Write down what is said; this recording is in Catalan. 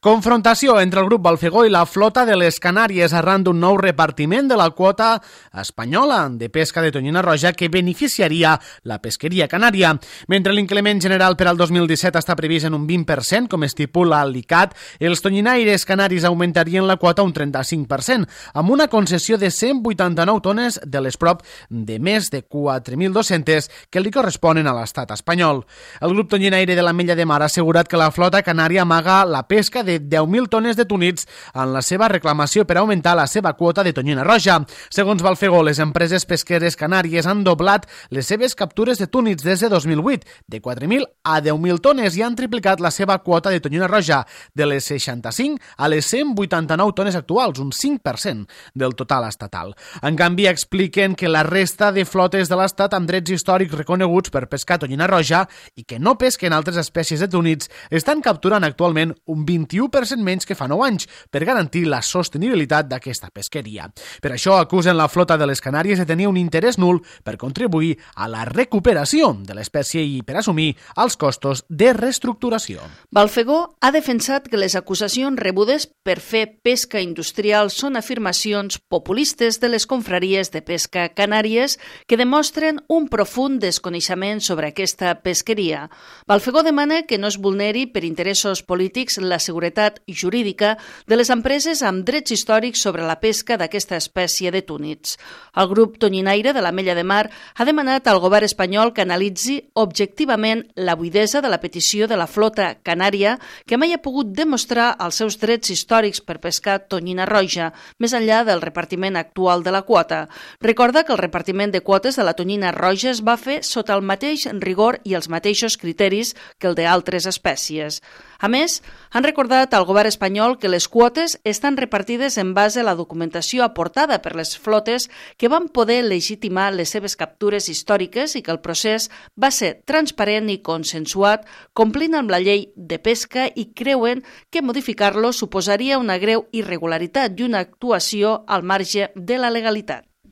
Confrontació entre el grup Balfegó i la flota de les Canàries arran d'un nou repartiment de la quota espanyola de pesca de tonyina roja que beneficiaria la pesqueria canària. Mentre l'increment general per al 2017 està previst en un 20%, com estipula l'ICAT, els tonyinaires canaris augmentarien la quota un 35%, amb una concessió de 189 tones de les prop de més de 4.200 que li corresponen a l'estat espanyol. El grup tonyinaire de l'Ametlla de Mar ha assegurat que la flota canària amaga la pesca de 10.000 tones de túnids en la seva reclamació per augmentar la seva quota de tonyina roja. Segons Balfegó, les empreses pesqueres canàries han doblat les seves captures de túnids des de 2008, de 4.000 a 10.000 tones, i han triplicat la seva quota de tonyina roja, de les 65 a les 189 tones actuals, un 5% del total estatal. En canvi, expliquen que la resta de flotes de l'estat amb drets històrics reconeguts per pescar tonyina roja i que no pesquen altres espècies de túnids estan capturant actualment un 21% menys que fa 9 anys per garantir la sostenibilitat d'aquesta pesqueria. Per això acusen la flota de les Canàries de tenir un interès nul per contribuir a la recuperació de l'espècie i per assumir els costos de reestructuració. Balfegó ha defensat que les acusacions rebudes per fer pesca industrial són afirmacions populistes de les confraries de pesca canàries que demostren un profund desconeixement sobre aquesta pesqueria. Balfegó demana que no es vulneri per interessos polítics la seguretat jurídica de les empreses amb drets històrics sobre la pesca d'aquesta espècie de túnids. El grup tonyinaire de l'Ametlla de Mar ha demanat al govern espanyol que analitzi objectivament la buidesa de la petició de la flota canària que mai ha pogut demostrar els seus drets històrics per pescar tonyina roja, més enllà del repartiment actual de la quota. Recorda que el repartiment de quotes de la tonyina roja es va fer sota el mateix rigor i els mateixos criteris que el d'altres espècies. A més, han recordat al govern espanyol que les quotes estan repartides en base a la documentació aportada per les flotes que van poder legitimar les seves captures històriques i que el procés va ser transparent i consensuat, complint amb la llei de pesca, i creuen que modificar-lo suposaria una greu irregularitat i una actuació al marge de la legalitat.